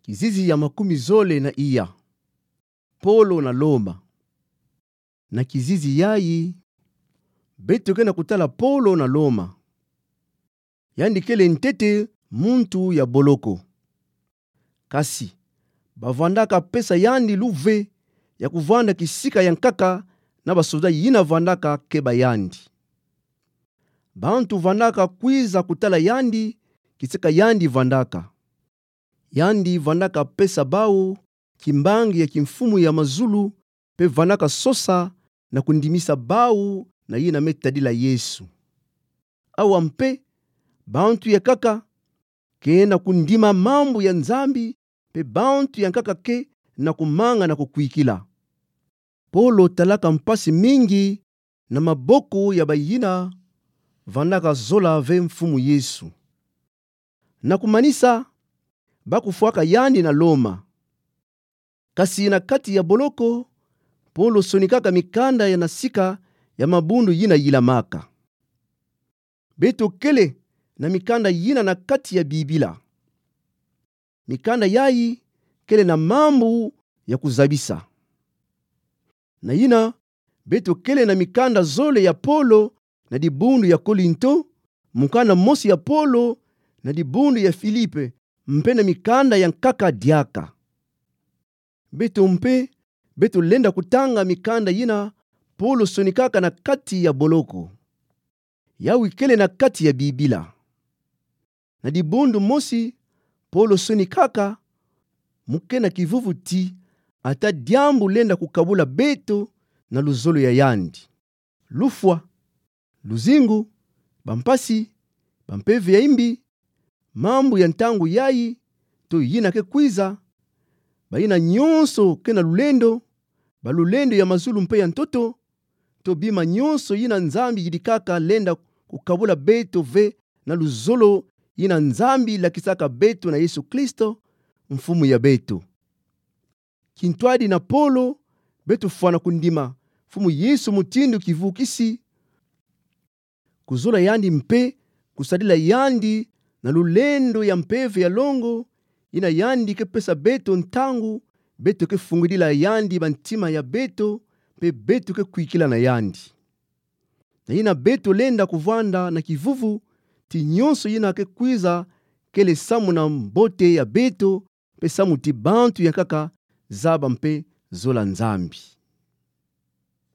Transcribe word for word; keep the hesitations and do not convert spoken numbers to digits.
Kizizi ya makumi zole na iya. Polo na Loma. Na kizizi yayi, beto kena kutala Polo na Loma. Yandi kele ntete muntu ya boloko. Kasi, bavandaka pesa yandi luve ya kuvanda kisika yankaka na basoda yina vandaka keba yandi. Bantu vandaka kwiza kutala yandi kisika yandi vandaka. Yandi vandaka pesa bau kimbangi ya kimfumu ya mazulu, mpe vandaka sosa na kundimisa bau na yina me tadila Yesu. Awa mpe, bantu yankaka ke na kundima mambu ya Nzambi, mpe bantu yankaka ke na kumanga na kukwikila. Polo talaka mpasi mingi na maboko ya bayina vandaka zola ve Mfumu Yesu. Na kumanisa, bakufwaka yandi na Loma. Kasi na kati ya boloko, Polo sonikaka mikanda ya na sika ya mabundu yina yilamaka. Beto kele na mikanda yina na kati ya Bibila. Mikanda yayi kele na mambu ya kuzabisa. Na yina, beto kele na mikanda zole ya Polo na dibundu ya Kolinto, mokana mosi ya Polo na dibundu ya Filipi, mpe na mikanda yankaka diaka. Beto mpe, beto lenda kutanga mikanda yina Polo sonikaka na kati ya boloko. Yawi kele na kati ya Bibila. Na dibundu mosi, Polo sonikaka, mu ke na kivuvu ti, ata diambu lenda kukabula beto na luzolo ya yandi. Lufwa, luzingu, bampasi, bampeve ya imbi, mambu ya ntangu yayi, to yina ke kwiza, bayina nyonso ke na lulendo, balulendo ya mazulu mpe ya ntoto, to bima nyonso yina Nzambi yidikaka lenda kukabula beto ve na luzolo yina Nzambi lakisaka beto na Yesu Kristo, Mfumu ya beto. Kintwadi na Polo, beto fwana kundima Mfumu Yesu mutindu kivukisi, kuzola yandi mpe kusadila yandi na lulendo ya mpeve ya longo, yina yandi ke pesa beto ntangu, beto ke fungidila yandi bantima ya beto, mpe beto ke kwikila na yandi. Na yina beto lenda kuvwanda na kivuvu ti nyonso yina ke kwiza kele samu na mbote ya beto, mpe samu ti bantu yankaka zaba mpe zola Nzambi.